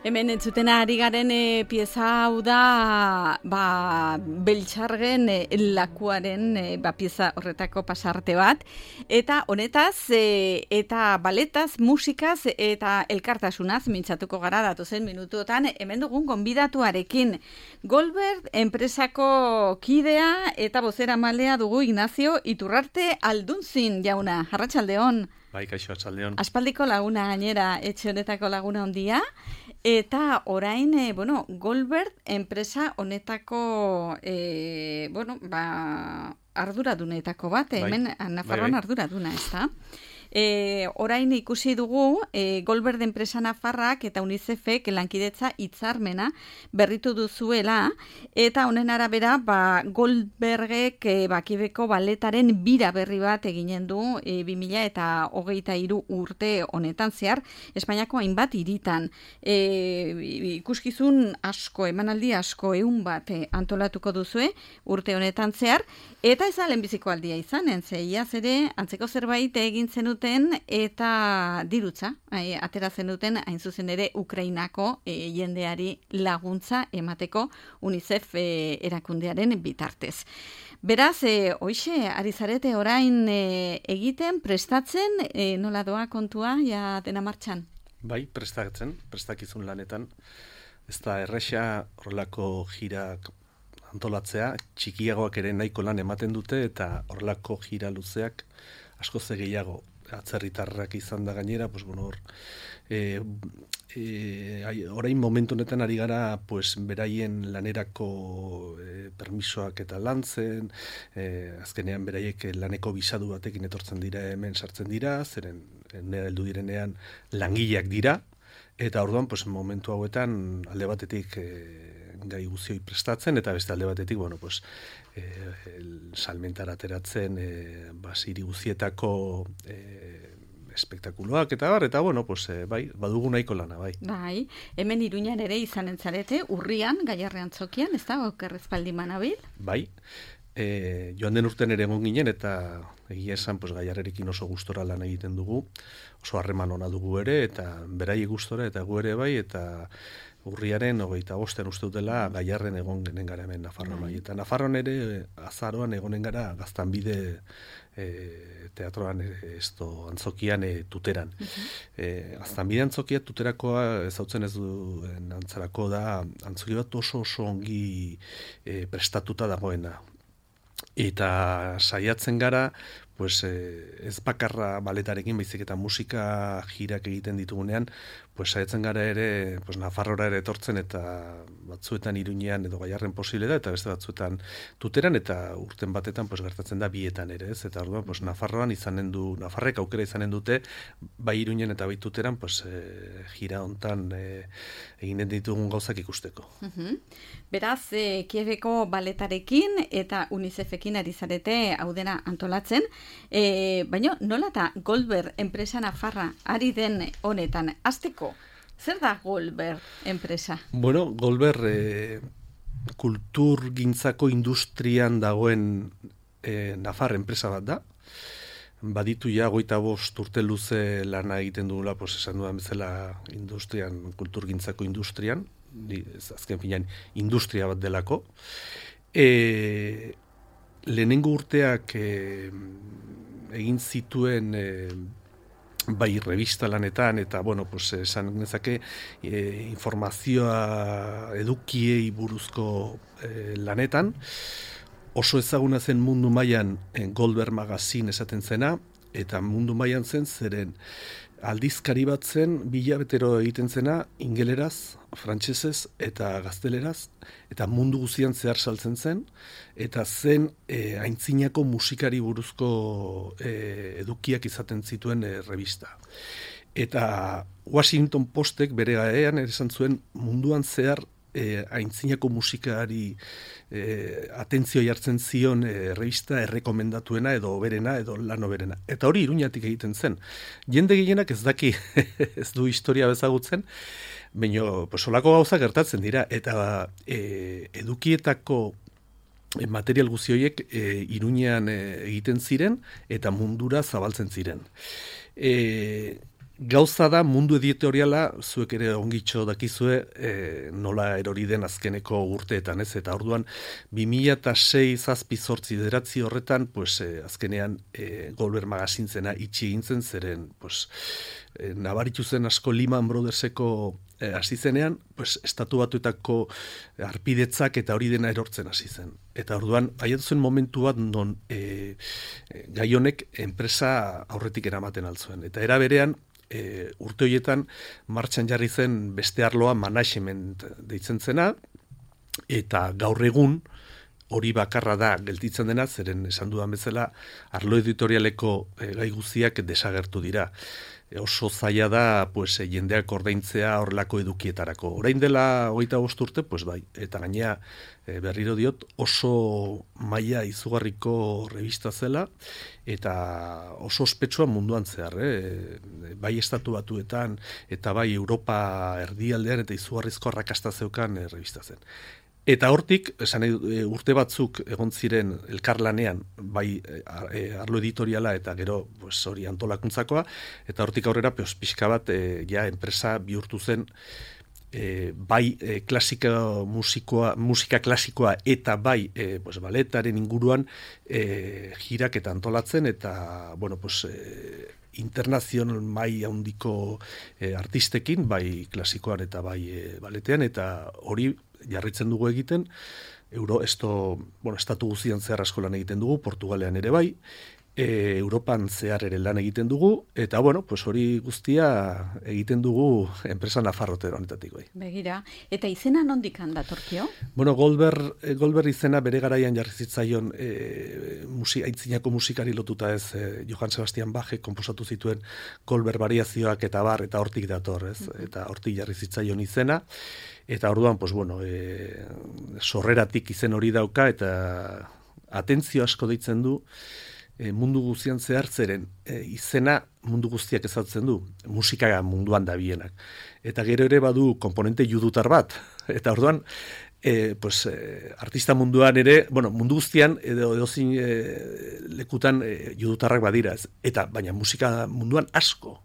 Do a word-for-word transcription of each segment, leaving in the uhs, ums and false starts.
Hemen entzuten ari garen e, pieza hau da ba, Beltxargen e, lakuaren e, ba, pieza horretako pasarte bat. Eta honetaz, e, eta baletaz, musikaz eta elkartasunaz mintzatuko gara datozen minutuotan. Hemen dugun gonbidatuarekin Goldberg enpresako kidea eta bozeramalea dugu Ignacio Iturrarte Aldunzin jauna. Arratsaldeon. Bai, kaixo, arratsaldeon. Aspaldiko laguna gainera, etxe honetako laguna hondia. Eta orain, e, bueno, Goldberg enpresa honetako, e, bueno, ba, arduradunetako bat, bai, hemen Nafarroan bai, bai. arduraduna, ez da? E, orain ikusi dugu e, Goldberg enpresa Nafarrak eta UNICEFek lankidetza hitzarmena berritu duzuela, eta honen arabera ba, Goldbergek e, bakibeko baletaren bira berri bat eginen du e, bi mila hogeita hiru urte honetan zehar Espainiako hainbat hiritan. E, ikuskizun asko, emanaldi asko, ehun bat e, antolatuko duzue urte honetan zehar, eta ez da lehenbiziko aldia izanen, ze iaz ere antzeko zerbait egin zenuten eta dirutza, e, atera zenuten hain zuzen ere Ukrainako e, jendeari laguntza emateko UNICEF e, erakundearen bitartez. Beraz, e, hoixe, ari zarete orain e, egiten, prestatzen, e, nola doa kontua, ja dena martxan? Bai, prestatzen, prestakizun lanetan. Ez da erresa horrelako jirak antolatzea, txikiagoak ere nahiko lan ematen dute, eta horrelako jira luzeak asko ze gehiago atzerritarrak izan da gainera, pues bueno, hor, e, e, orain momentu honetan ari gara, pues, beraien lanerako e, permisoak eta lantzen, e, azkenean beraiek laneko bisadu batekin etortzen dira, hemen sartzen dira, zeren nera heldu direnean langileak dira, eta orduan, pues, momentu hauetan alde batetik e, gai guzioi prestatzen, eta beste alde batetik, bueno, pues, eh, salmentara ateratzen, eh, basiri guzietako eh, espektakuloak, eta bar, eta bueno, pues, eh, bai, badugu nahiko lana, bai. Bai, hemen Iruñan ere izanen zarete, urrian, Gaiarrean Tzokian, ez da, okerrezpaldi manabil? Bai, e, joan den urten ere egon ginen, eta egia esan, pues, Gaiarrerekin oso gustora lan egiten dugu, oso harreman ona dugu ere, eta berai gustora, eta gu ere bai, eta urriaren hogeita bosten uste dutela Gaiarren egon genen gara hemen Nafarroan. Bai. Eta Nafarroan ere azaroan egonen gara Gaztanbide e, teatroan e, esto, antzokian e, tuteran. Uh-huh. e, Gaztanbide antzokia tuterakoa ezautzen ez duen antzarako da antzoki bat oso oso ongi e, prestatuta dagoena. Eta saiatzen gara, pues, eh, ez bakarra baletarekin, baizik eta musika jirak egiten ditugunean, pues, saiatzen gara ere, pues, Nafarrora ere etortzen, eta batzuetan Iruñean edo Gaiarren posible da, eta beste batzuetan tuteran, eta urten batetan, pues, gertatzen da bietan ere, ez? Eta orduan, pues, Nafarroan izanen du, Nafarrek aukera izanen dute, bai Iruñen eta bai tuteran, pues, eh, jira hontan eh, eginen ditugun gauzak ikusteko. Uh-huh. Beraz, eh, Kieveko baletarekin eta UNICEFekin ari zarete hau dena antolatzen, E, baina nola eta Goldberg enpresa Nafarra ari den honetan, hasteko, zer da Goldberg enpresa? Bueno, Goldberg e, kultur gintzako industrian dagoen e, Nafar enpresa bat da. Baditu ja goita bost urte luze lana egiten dugula, pues, esan dudan bezala industrian, kultur gintzako industrian, azken finean industria bat delako. E, Lehenengo urteak e, egin zituen e, bai revista lanetan, eta, bueno, pues, esan nezake e, informazioa edukiei buruzko e, lanetan. Oso ezaguna zen mundu mailan e, Goldberg Magazine esaten zena, eta mundu mailan zen zeren aldizkari bat zen, bilabetero egiten zena, ingeleraz, frantsesez eta gazteleraz, eta mundu guztian zehar saltzen zen, eta zen e, aintzinako musikari buruzko e, edukiak izaten zituen e, revista. Eta Washington Postek bere gaean esan zuen munduan zehar e, aintzinako musikari e, atentzio jartzen zion e, revista errekomendatuena edo oberena edo lan oberena. Eta hori Iruñatik egiten zen. Jende gehienak ez daki ez du historia bezagutzen, baina pues, olako gauza gertatzen dira. Eta e, edukietako material guzti horiek e, Iruñean e, egiten ziren eta mundura zabaltzen ziren. E, gauza da mundu editoriala, zuek ere ongitxo dakizue, e, nola erori den azkeneko urteetan, ez? Eta orduan, bi mila sei zazpi zortzi deratzi horretan, pues, e, azkenean e, Goldberg magazintzena itxi egintzen, zeren, pues, e, nabaritu zen asko Lehman Brotherseko e, hasi zenean, pues, estatu batuetako arpidetzak eta hori dena erortzen hasi zen. Eta orduan, baiatu zen momentu bat non e, e, gai honek enpresa aurretik eramaten altzuen. Eta era berean, E, urte horietan martxan jarri zen beste arloa management deitzen zena, eta gaur egun hori bakarra da gelditzen dena, zeren esan dudan bezala arlo editorialeko e, gai guztiak desagertu dira. E, oso zaila da pues, e, jendeak ordaintzea horrelako edukietarako. Orain dela hogeita bost urte, pues bai, eta gainea e, berriro diot oso maila izugarriko revista zela, eta oso ospetsua munduan zehar, eh? Bai estatu batuetan, eta bai Europa erdialdean, eta izugarrizko arrakasta zeukan e, revista zen. Eta hortik, esan e, urte batzuk egon ziren elkarlanean, bai e, arlo editoriala eta gero pues, hori antolakuntzakoa, eta hortik aurrera pues, pixka bat e, ja enpresa bihurtu zen e, bai e, klasika musikoa, musika klasikoa eta bai e, pues, baletaren inguruan e, jirak eta antolatzen, eta bueno, pues, e, internazional mai handiko e, artistekin, bai klasikoan eta bai e, baletean, eta hori jarritzen dugu egiten, Euro, esto, bueno, estatu guztian zehar asko lan egiten dugu, Portugalean ere bai, e, Europan zehar ere lan egiten dugu, eta bueno, pues hori guztia egiten dugu enpresa nafarrote honetatik bai. Begira, eta izena nondik handatorkio? Bueno, Goldberg, Goldberg izena bere garaian jarri zitzaion e, musi, aitzinako musikari lotuta ez, e, Johann Sebastian Bachek konposatu zituen Goldberg variazioak eta bar, eta hortik dator, ez? Uh-huh. Eta hortik jarri zitzaion izena. Eta orduan, pues bueno, e, sorreratik izen hori dauka, eta atentzio asko deitzen du, e, mundu guztian zehar zeren, e, izena mundu guztiak ezatzen du, musika munduan dabienak. Eta gero ere badu komponente judutar bat, eta orduan, e, pues, e, artista munduan ere, bueno, mundu guztian, edo edozin e, lekutan e, judutarrak badira, ez? Eta baina musika munduan asko,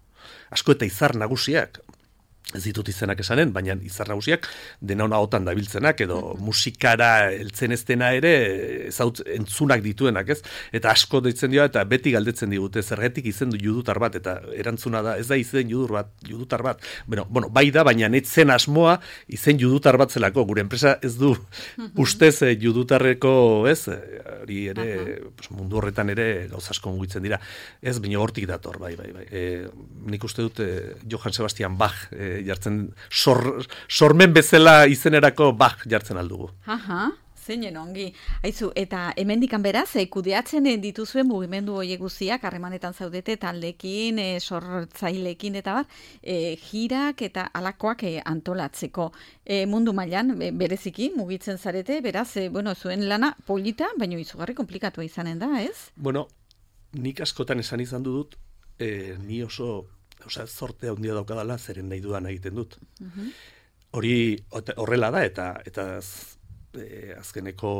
asko eta izar nagusiak, ez ditut izenak esanen, baina izar nagusiak dena ona otan dabiltzenak, edo uh-huh. musikara heltzen ez dena ere ezaut, entzunak dituenak, ez? Eta asko deitzen dira, eta beti galdetzen digute, zergatik izen du judutar bat, eta erantzuna da, ez da izen judur bat, judutar bat. Bueno, bueno, bai da, baina netzen asmoa izen judutar bat zelako, gure enpresa ez du uh-huh. ustez eh, judutarreko, ez? Hori ere, uh-huh. pues, mundu horretan ere gauza asko mugitzen dira. Ez, baina hortik dator, bai, bai, bai. E, nik uste dut eh, Johann Sebastian Bach eh, jartzen, sor, sormen bezala izenerako Bach jartzen aldugu. Aha, zeinen ongi. Aizu, eta hemendikan beraz, e, kudeatzen dituzuen mugimendu horiek guztiak, harremanetan zaudete taldekin, e, sortzailekin eta bat, e, jirak eta alakoak e, antolatzeko. E, mundu mailan e, bereziki mugitzen zarete, beraz, e, bueno, zuen lana polita, baina izugarri komplikatua izanen da, ez? Bueno, nik askotan esan izan dut, e, ni oso Osa, zorte handia daukadala, zeren nahi dudan egiten dut. Uh-huh. Hori horrela da, eta eta e, azkeneko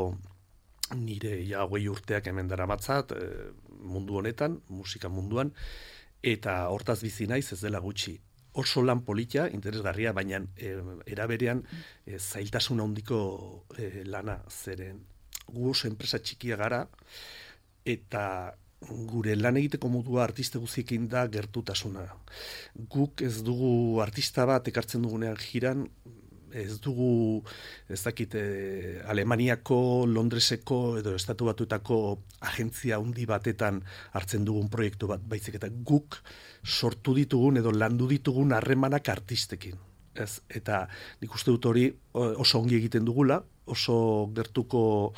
nire ja hogei urteak hemen dara matzat, e, mundu honetan, musika munduan, eta hortaz bizi naiz ez dela gutxi. Oso lan politia, interesgarria, baina e, eraberean e, zailtasun handiko e, lana, zeren gu oso enpresa txikia gara, eta gure lan egiteko modua artista guztiekin da gertutasuna. Guk ez dugu artista bat ekartzen dugunean jiran, ez dugu, ez dakit, eh, Alemaniako, Londreseko edo Estatu Batuetako agentzia handi batetan hartzen dugun proiektu bat, baizik eta guk sortu ditugun edo landu ditugun harremanak artistekin. Ez? Eta nik uste dut hori oso ongi egiten dugula, oso gertuko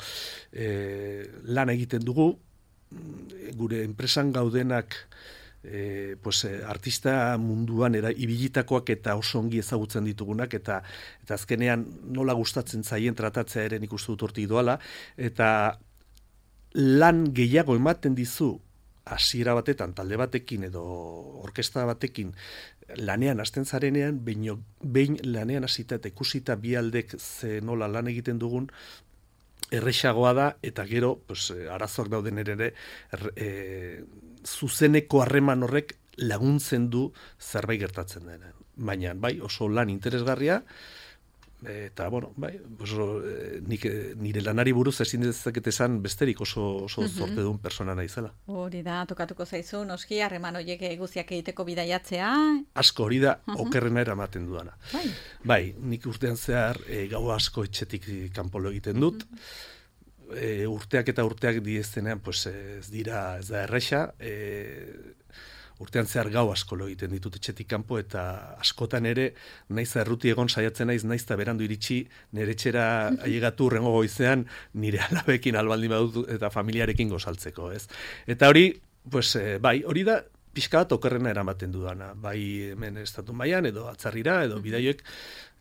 eh, lan egiten dugu, gure enpresan gaudenak e, pues, artista munduan era ibilitakoak eta oso ongi ezagutzen ditugunak, eta eta azkenean nola gustatzen zaien tratatzea ere nik uste dut hortik doala, eta lan gehiago ematen dizu hasiera batetan talde batekin edo orkestra batekin lanean hasten zarenean, behin, behin lanean hasita eta ikusita bi aldek ze nola lan egiten dugun, errexagoa da, eta gero pues, arazoak dauden ere, e, zuzeneko harreman horrek laguntzen du zerbait gertatzen dena. Baina, bai, oso lan interesgarria, eta, bueno, bai, oso, nik, nire lanari buruz ezin dezaket esan besterik oso, oso mm-hmm. zorte duen persona naizela. Hori da, tokatuko zaizu, noski, harreman horiek guziak egiteko bidaiatzea. Asko, hori da, uh-huh. okerrena eramaten dudana. Bai. Bai, nik urtean zehar e, gau asko etxetik kanpolo egiten dut, uh-huh. e, urteak eta urteak dieztenean, pues, ez dira, ez da erresa, e, urtean zehar gau asko lo egiten ditut etxetik kanpo, eta askotan ere, naiz erruti egon saiatzen naiz, naiz eta berandu iritsi, nire etxera ailegatu urrengo goizean, nire alabekin albaldin badut eta familiarekin gozaltzeko, ez? Eta hori, pues, eh, bai, hori da, pixka bat okerrena eramaten dudana, bai hemen estatu mailan edo atzarrira, edo bidaioek,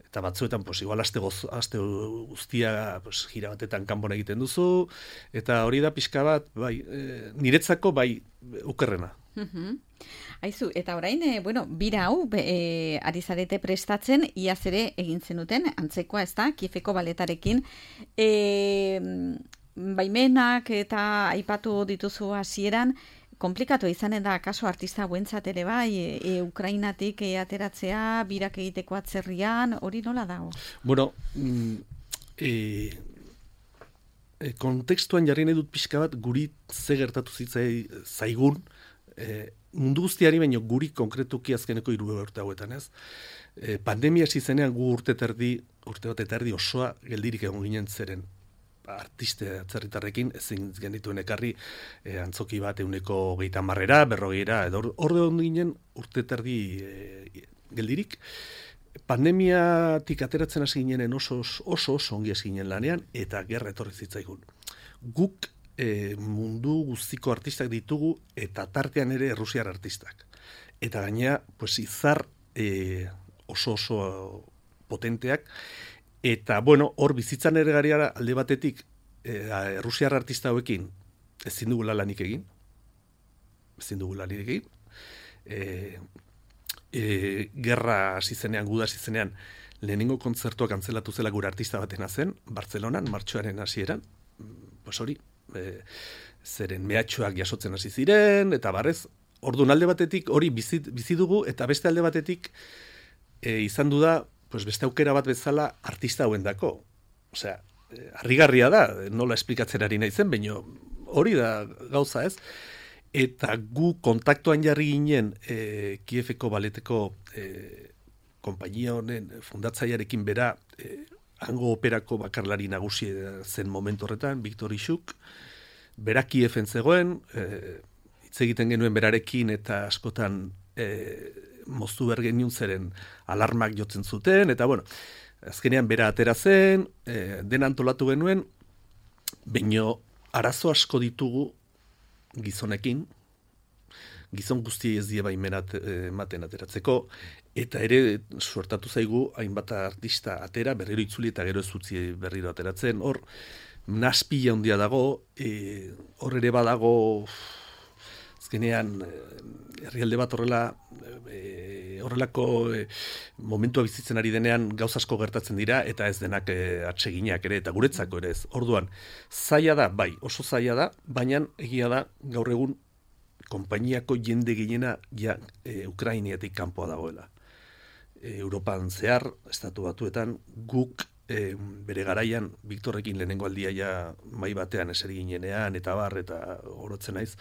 eta batzuetan, pues, igual aste, goz, aste guztia, pues, gira batetan kanpon egiten duzu, eta hori da pixka bat, bai, e, niretzako, bai, okerrena. Uhum. Aizu, eta orain, e, bueno, bira hau e, ari zarete prestatzen, iaz ere egin zenuten, antzekoa ez da, Kiefeko baletarekin, e, baimenak eta aipatu dituzu hasieran, komplikatu izanen da, kaso artista buentzat ere bai, e, e, Ukrainatik e, ateratzea, birak egiteko atzerrian, hori nola dago? Bueno, mm, e, e, kontekstuan jarri nahi dut pixka bat, guri ze gertatu zitzai zaigun, E, mundu guztiari baino guri konkretuki azkeneko hiru urte hauetan, ez? E, pandemia hasi zenean gu urte terdi, urte bat eta erdi osoa geldirik egon ginen zeren artiste atzerritarrekin ezin genituen ekarri e, antzoki bat ehuneko hogeita hamarera, berrogeira, edo hor egon ginen urte terdi e, geldirik. Pandemiatik ateratzen hasi ginen oso oso oso ongi hasi ginen lanean, eta gerra etorri zitzaigun. Guk E, mundu guztiko artistak ditugu, eta tartean ere errusiar artistak. Eta gainea, pues, izar e, oso oso potenteak, eta, bueno, hor bizitzan ere gariara alde batetik e, errusiar artista hauekin ezin dugula lanik egin, ezin dugula lanik egin, e, e, gerra hasi zenean, guda hasi zenean, lehenengo kontzertua kantzelatu zela gure artista batena zen, Bartzelonan, martxoaren hasieran, pues hori, E, zeren mehatxoak jasotzen hasi ziren, eta barrez, orduan alde batetik hori bizi, bizi dugu, eta beste alde batetik e, izan du da, pues beste aukera bat bezala artista hauendako. Osea, e, harrigarria da, nola esplikatzen ari naizen, baina hori da gauza, ez? Eta gu kontaktuan jarri ginen e, Kiefeko baleteko e, konpainia honen fundatzailearekin bera, e, hango operako bakarlari nagusi zen momentu horretan, Viktor Isuk, bera Kiefen zegoen, hitz e, egiten genuen berarekin eta askotan e, moztu bergeniun zeren alarmak jotzen zuten, eta bueno, azkenean bera atera zen, e, den antolatu genuen, baino arazo asko ditugu gizonekin, gizon guzti ez die baimenat ematen ateratzeko, eta ere suertatu zaigu hainbat artista atera, berriro itzuli eta gero ez utzi berriro ateratzen, hor naspila handia dago, e, hor ere badago, azkenean herrialde bat horrela, e, horrelako e, momentua bizitzen ari denean gauz asko gertatzen dira, eta ez denak e, atseginak ere, eta guretzako ere ez. Orduan, zaila da, bai, oso zaila da, baina egia da gaur egun konpainiako jende gehiena ja e, Ukrainiatik kanpoa dagoela. E, Europan zehar, estatu batuetan, guk e, bere garaian, Viktorrekin lehenengo aldia ja mai batean eseri ginenean, eta bar, eta orotzen naiz,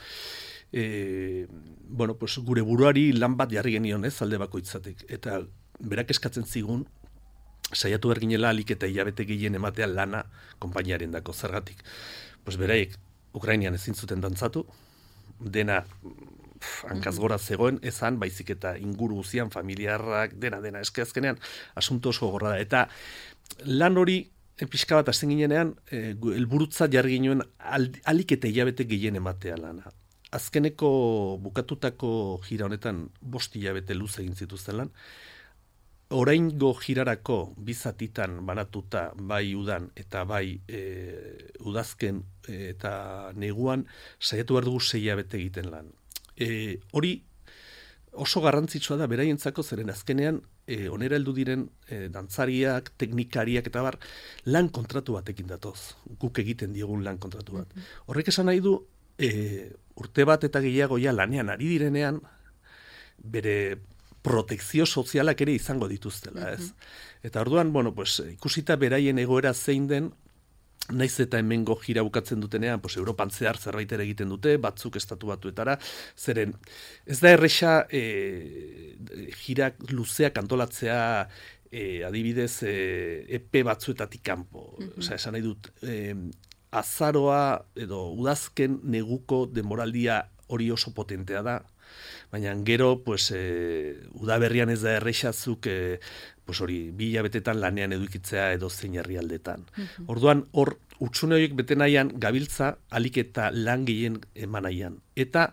e, bueno, pues, gure buruari lan bat jarri genion, ez, alde bakoitzatik. Eta berak eskatzen zigun, saiatu behar ginela alik eta hilabete gehien ematea lana konpainiaren dako zergatik. Pues beraiek, Ukrainian ezin zuten dantzatu, dena hankaz gora zegoen, ezan, baizik eta inguru guzian, familiarrak, dena, dena, eske azkenean, asunto oso gorra da. Eta lan hori, pixka bat azten ginenean, e, elburutza jarri ginen alik eta hilabete gehien ematea lana. Azkeneko bukatutako gira honetan, bost hilabete luze egin zituzten lan, oraingo girarako bizatitan banatuta bai udan eta bai e, udazken e, eta neguan saiatu behar dugu sei hilabete egiten lan. E, hori oso garrantzitsua da beraientzako zeren azkenean e, onera heldu diren e, dantzariak, teknikariak eta bar lan kontratu batekin datoz. Guk egiten diegun lan kontratu bat. Horrek esan nahi du e, urte bat eta gehiago ja lanean ari direnean bere protekzio sozialak ere izango dituztela, ez? Eta orduan, bueno, pues, ikusita beraien egoera zein den, naiz eta hemengo jira bukatzen dutenean, pues, Europan zehar zerbait ere egiten dute, batzuk estatu batuetara, zeren ez da erresa e, jirak luzeak antolatzea e, adibidez e, epe batzuetatik kanpo. Mm-hmm. Osea, esan nahi dut, e, azaroa edo udazken neguko denboraldia hori oso potentea da, baina gero, pues, e, udaberrian ez da errexazuk, e, pues hori, bi hilabetetan lanean edukitzea edo zein herrialdetan. Mm-hmm. Orduan, hor, utxune horiek bete nahian, gabiltza, alik eta lan gehien eman nahian. Eta,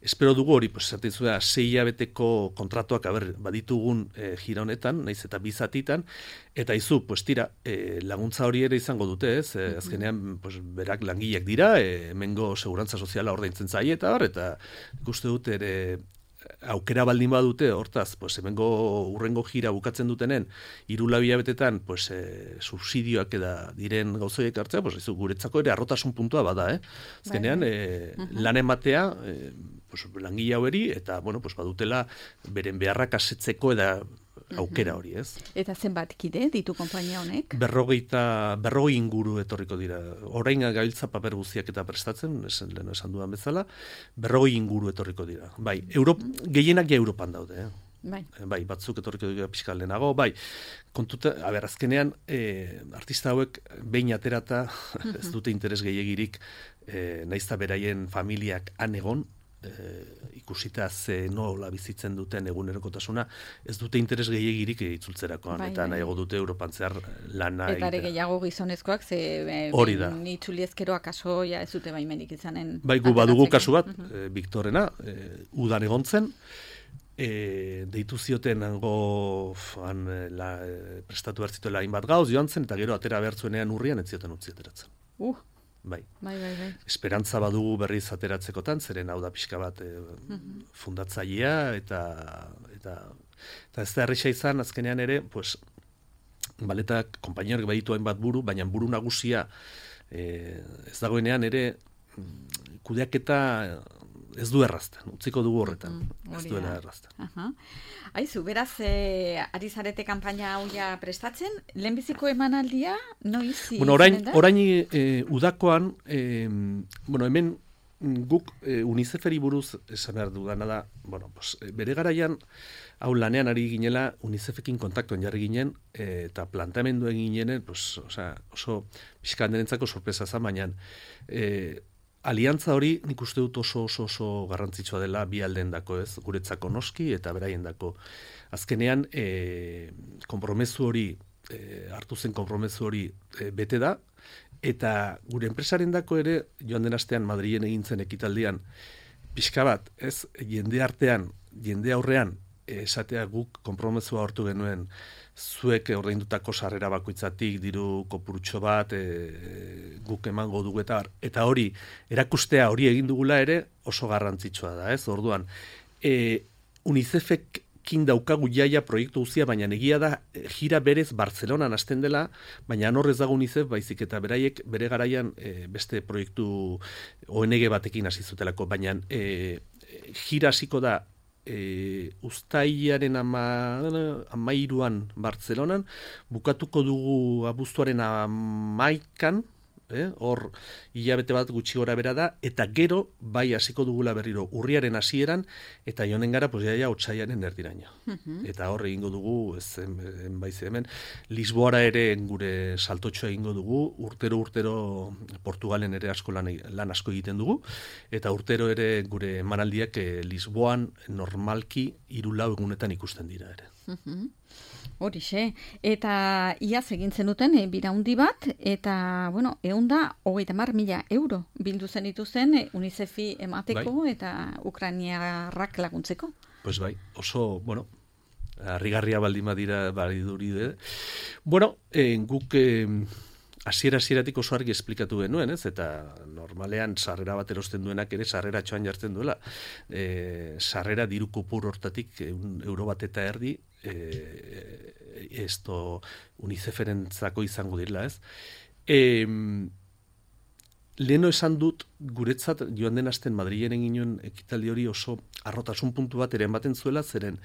espero dugu hori, pues, esaten zuen, sei hilabeteko kontratuak, aber, baditugun e, jira honetan, naiz eta bizatitan, eta izu, pues, tira, e, laguntza hori ere izango dute, ez? E, azkenean, pues, berak langileak dira, e, hemengo segurantza soziala ordaintzen zaie, eta hor, eta ikuste dut ere, aukera baldin badute, hortaz, pues, hemengo urrengo jira bukatzen dutenen, hiru lau hilabetetan, pues, e, subsidioak eda diren gauzoiek hartzea, pues, izu, guretzako ere arrotasun puntua bada, eh? Azkenean, e, lan ematea, e, pues, langile haueri, eta, bueno, pues, badutela beren beharrak asetzeko eda aukera hori, ez? Eta zenbat kide ditu konpainia honek? Berrogeita, berrogei inguru etorriko dira. Orain gabiltza paper guztiak eta prestatzen, esan, lehen esan dudan bezala, berrogei inguru etorriko dira. Bai, Europ, gehienak ja Europan daude, eh? Bai. Bai, batzuk etorriko dira pixka lehenago, bai, kontuta, a ber, azkenean, e, artista hauek behin aterata, ez dute interes gehiegirik, e, naizta beraien familiak han egon, E, ikusita ze nola bizitzen duten egunerokotasuna, ez dute interes gehiegirik itzultzerakoan, bai, eta bai. Nahiago dute Europan zehar lana eta ere gehiago gizonezkoak, ze hori da. Itzuli ezkero akaso ja ez dute baimenik izanen. Bai, gu badugu kasu bat, uh-huh. e, Viktorena, e, udan egontzen, e, deitu zioten hango han, la, e, prestatu bertzituela hainbat gauz joan zen, eta gero atera behartzuenean urrian ez zioten utzi ateratzen. Uh. Bai. Bai, bai, bai. Esperantza badugu berriz ateratzekotan, zeren hau da pixka bat e, uh-huh. fundatzailea, eta, eta, eta ez da erresa izan, azkenean ere, pues, baletak konpainiorek baditu hainbat buru, baina buru nagusia e, ez dagoenean ere kudeaketa ez du errazten, utziko dugu horretan, mm, ez duela errazten. Uh-huh. Aizu, beraz, e, ari zarete kanpaina hau ja prestatzen, lehenbiziko emanaldia, noiz? Bueno, orain, orain e, udakoan, e, bueno, hemen guk e, UNICEFeri buruz esan behar dudana da, bueno, pues, bere garaian, hau lanean ari ginela, UNICEFekin kontaktuan jarri ginen, e, eta planteamendu egin ginen, pues, osea, oso pixka handerentzako sorpresa zan, baina, e, aliantza hori nik uste dut oso oso oso garrantzitsua dela bi aldeendako, ez, guretzako noski eta beraiendako. Azkenean, e, konpromezu hori, e, hartu zen konpromezu hori e, bete da, eta gure enpresarendako ere, joan den astean Madrilen egin zen ekitaldian, pixka bat, ez, jende artean, jende aurrean, esatea guk konpromezua hartu genuen, zuek ordaindutako sarrera bakoitzatik diru kopurutxo bat e, guk emango dugu eta eta hori erakustea hori egin dugula ere oso garrantzitsua da, ez? Orduan, e, UNICEFekin daukagu jaia proiektu guztia, baina egia da jira berez Bartzelonan hasten dela, baina horrez dago UNICEF baizik eta beraiek bere garaian e, beste proiektu O N G batekin hasi zutelako, baina e, jira hasiko da E, uztailaren ama, amairuan Bartzelonan, bukatuko dugu abuztuaren amaikan, eh? Hor hilabete bat gutxi gora bera da, eta gero bai hasiko dugula berriro urriaren hasieran, eta joanen gara, pues, jaia otsaiaren erdiraino. Uh-huh. Eta hor egingo dugu, ez enbaize hemen, Lisboara ere gure saltotxoa egingo dugu, urtero urtero Portugalen ere asko lan, lan asko egiten dugu, eta urtero ere gure emanaldiak eh, Lisboan normalki hiru lau egunetan ikusten dira ere. Uh-huh. Horixe, eta iaz egin zenuten e, biraundi bat, eta, bueno, egun da, hogeita hamar mila euro bildu zen dituzten e, UNICEFi emateko, bai. Eta Ukrainiarrak laguntzeko. Pues bai, oso, bueno, harrigarria baldin badira, badiduri, eh? Bueno, eh, guk... Eh, Hasiera hasieratik oso argi esplikatu genuen, ez? Eta normalean sarrera bat erosten duenak ere sarrera txoan jartzen duela. E, sarrera diru kopur hortatik un euro bat eta erdi e, esto UNICEFerentzako izango direla, ez? E, leheno esan dut, guretzat, joan den asten Madrilen egin ginen ekitaldi hori oso arrotasun puntu bat ere ematen zuela, zeren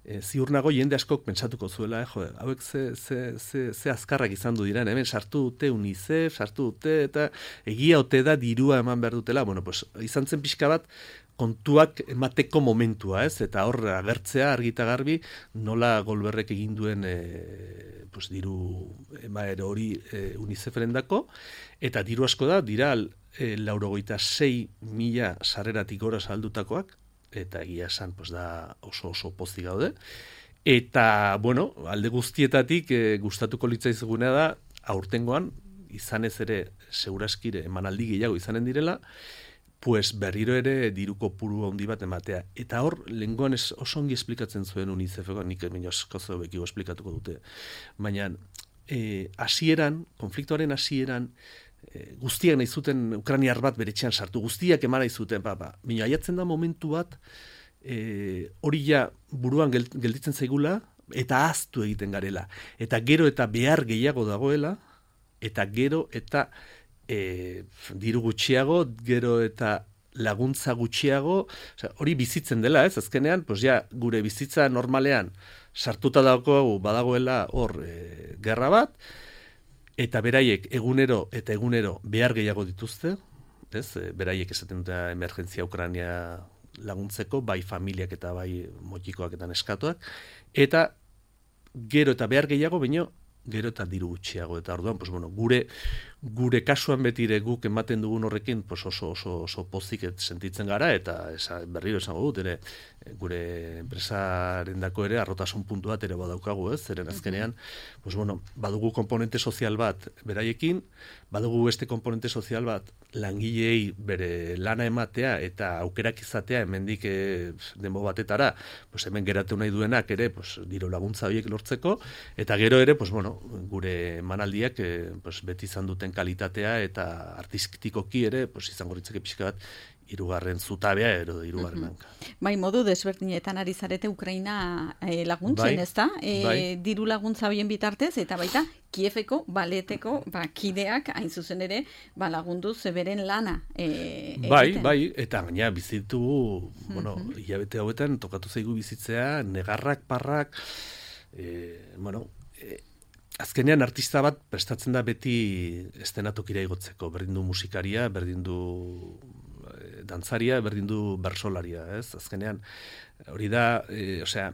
e, ziur nago jende askok pentsatuko zuela, eh, jo, hauek ze, ze, ze, ze azkarrak izan du diren, hemen sartu dute UNICEF, sartu dute, eta egia ote da dirua eman behar dutela, bueno, pues, izan zen pixka bat, kontuak emateko momentua, ez? Eta hor agertzea argita garbi nola Goldbergek egin duen e, pues, diru emaero hori e, UNICEFren dako, eta diru asko da, dira e, laurogeita sei mila sarreratik gora saldutakoak, eta egia esan pues, da oso oso pozik gaude. Eta, bueno, alde guztietatik e, gustatuko litzaizuguna da, aurtengoan, izanez ere, seguraskire emanaldi gehiago izanen direla, pues berriro ere diru kopuru handi bat ematea. Eta hor, lehengoan oso ongi esplikatzen zuen UNICEFeko, nik baina askozo bekigo esplikatuko dute. Baina, e, hasieran, konfliktoaren hasieran, e, guztiak nahi zuten ukrainiar bat beretxean sartu, guztiak eman nahi zuten, ba, ba. Baina, aiatzen da momentu bat, e, hori ja buruan gelditzen zaigula, eta ahaztu egiten garela. Eta gero eta behar gehiago dagoela, eta gero eta E, diru gutxiago, gero eta laguntza gutxiago, osea, hori bizitzen dela, ez? Azkenean, pues ja, gure bizitza normalean sartuta dago badagoela hor e, gerra bat, eta beraiek egunero eta egunero behar gehiago dituzte, ez? E, beraiek esaten dute emergentzia Ukraina laguntzeko, bai familiak eta bai motikoak eta neskatoak, eta gero eta behar gehiago, baino gero eta diru gutxiago, eta orduan, pues, bueno, gure gure kasuan betire guk ematen dugun horrekin pues oso oso oso pozik sentitzen gara, eta esa, berriro esango dut, ere gure enpresarendako ere arrotasun puntu bat ere badaukagu, ez? Zeren azkenean, pues bueno, badugu komponente sozial bat beraiekin, badugu beste komponente sozial bat langileei bere lana ematea eta aukerak izatea hemendik e, denbo batetara, pues hemen geratu nahi duenak ere, pues diru laguntza horiek lortzeko, eta gero ere, pues bueno, gure emanaldiak e, pues beti izan duten kalitatea eta artistikoki ere, pues izango ritzeke pixka bat hirugarren zutabea edo hirugarren hanka. Mm-hmm. Bai, modu desberdinetan ari zarete Ukraina eh, laguntzen, bai, ezta? Eh, bai. Diru laguntza hoien bitartez eta baita Kieveko baleteko ba, kideak hain zuzen ere ba, lagundu zeberen lana eh, bai, egiten. bai, eta gaina bizitugu, bueno, mm-hmm. hilabete hauetan tokatu zaigu bizitzea, negarrak, parrak, eh, bueno, eh, azkenean artista bat prestatzen da beti estenatokira igotzeko, berdin du musikaria, berdin du e, dantzaria, berdin du bersolaria, ez? Azkenean hori da, e, osea,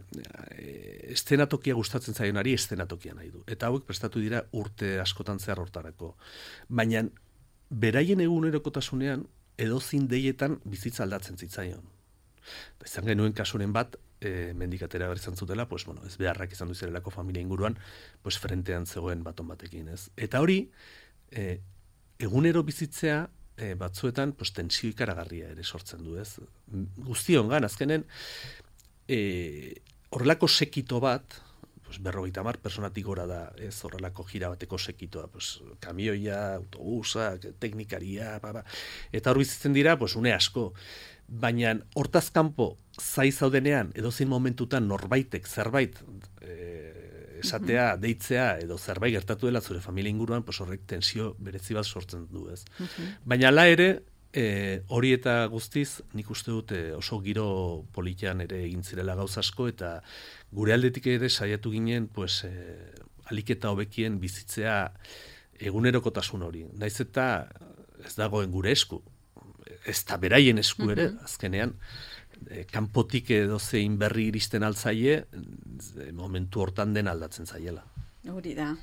e, estenatokia gustatzen zaionari estenatokia nahi du. Eta hauek prestatu dira urte askotan zehar hortarako. Baina beraien egunerokotasunean edozin deietan bizitza aldatzen zitzaion. Izan genuen kasuren bat, E, mendikatera berizan zutela, pues, bueno, ez beharrak izan duzerelako familia inguruan, pues, frentean zegoen baton batekin, ez? Eta hori, e, egunero bizitzea, e, batzuetan, pues, tensio ikaragarria ere sortzen du, ez? Guztiongan, azkenen, e, horrelako sekito bat, pues, berrogeita hamar personatik gora da, ez? Horrelako jira bateko sekitoa, pues, kamioia, autobusak, teknikaria, ba, ba. Eta hor bizitzen dira, pues, une asko. Baina hortaz kanpo zai zaudenean edozein momentutan norbaitek zerbait e, esatea, uh-huh. deitzea edo zerbait gertatu dela zure familia inguruan, pues horrek tensio berezi bat sortzen du, ez. Uh-huh. Baina hala ere, e, hori eta guztiz, nik uste dut e, oso giro politian ere egin zirela gauza asko, eta gure aldetik ere saiatu ginen, pues, e, aliketa hobekien bizitzea egunerokotasun hori. Naiz eta ez dagoen gure esku, ez da beraien esku ere, uh-huh. azkenean, e, kanpotik edo zein berri iristen altzaie, e, momentu hortan den aldatzen zaiela. Hori da.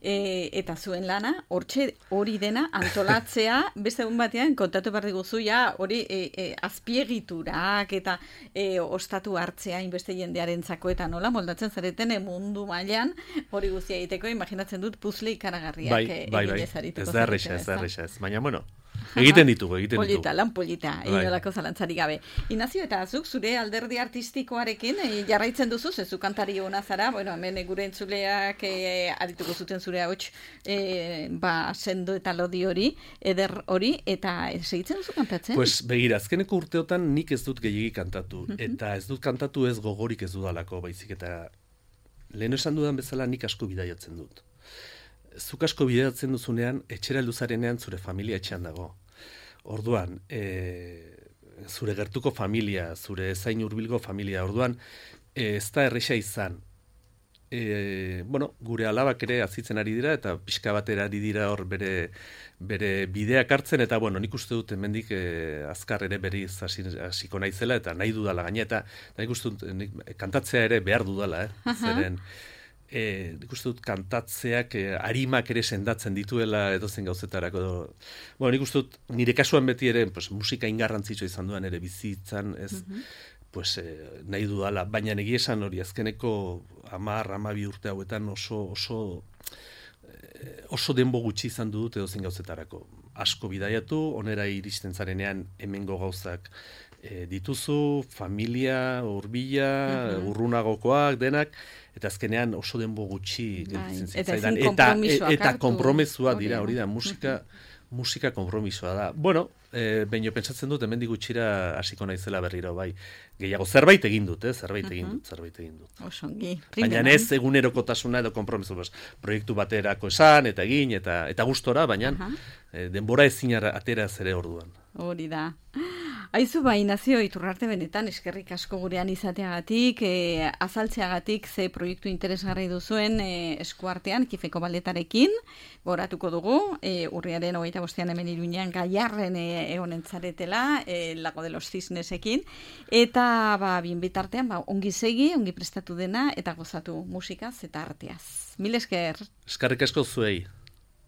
e, eta zuen lana, hortxe hori dena antolatzea, beste egun batean, kontatu behar diguzu, ja, hori e, e, azpiegiturak eta e, ostatu hartzea inbeste jendearentzako eta nola moldatzen zareten e, mundu mailan hori guztia egiteko, imaginatzen dut puzle ikaragarriak bai, e, bai, bai. ez zarituko. Ez da erresa, ez da erresa, ez. Baina, bueno, egiten ditugu, egiten ditugu. Polita, lan polita, inolako zalantzari gabe. Inazio, eta zuk zure alderdi artistikoarekin e, jarraitzen duzu, zezu kantari hona zara, bueno, hemen gure entzuleak e, arituko zuten zure hauts e, ba, sendo eta lodi hori, eder hori, eta segitzen duzu kantatzen? Pues begira, azkeneko urteotan nik ez dut gehiegi kantatu, uh-huh. eta ez dut kantatu ez gogorik ez dudalako, baizik, eta lehen esan dudan bezala nik asko bidaiatzen dut. zuk asko bideratzen duzunean, etxera luzarenean zure familia etxean dago. Orduan, e, zure gertuko familia, zure zain hurbilgo familia, orduan, e, ez da erresa izan. E, bueno, gure alabak ere azitzen ari dira, eta pixka batera ari dira hor bere, bere bideak hartzen, eta bueno, nik uste dut hemendik e, azkar ere berriz hasiko naizela, eta nahi dudala gaina, eta nik uste dut nik, kantatzea ere behar dudala, eh? Zeren, e, nik uste dut kantatzeak e, arimak ere sendatzen dituela edozen gauzetarako. Bueno, nik uste dut nire kasuan beti ere pues, musika ingarrantzitsua izan duan ere bizitzan, ez, mm-hmm. pues, eh, nahi dudala, baina egia esan hori azkeneko hamar, hamabi urte hauetan oso, oso, eh, oso denbo gutxi izan dut edozein gauzetarako. Asko bidaiatu, onera iristen zarenean hemengo gauzak eh, dituzu, familia, hurbila, uh-huh. urrunagokoak, denak, eta azkenean oso denbo gutxi gelditzen zitzaidan. Eta, eta, eta konpromesua dira, hori da, musika, uh-huh. musika konpromisoa da. Bueno, E, baina pentsatzen dut, hemendik gutxira hasiko naizela berriro, bai. Gehiago zerbait egin dut, eh? zerbait egin dut, zerbait egin dut. Osongi. Baina ez egunerokotasuna edo konpromiso, bas, proiektu baterako esan, eta egin, eta eta gustora, baina e, denbora ezin atera ere orduan. Hori da. Aizu bai, Nazio Iturrarte, benetan eskerrik asko gurean izateagatik, e, azaltzeagatik ze proiektu interesgarri duzuen e, eskuartean, Kifeko Balletarekin, goratuko dugu, e, urriaren hogeita bostean hemen Iruñean Gaiarren e, egonen zaretela, e, Lago de los Cisnesekin, eta ba, bien bitartean, ba, ongi segi, ongi prestatu dena, eta gozatu musikaz eta arteaz. Mil esker. Eskerrik asko zuei.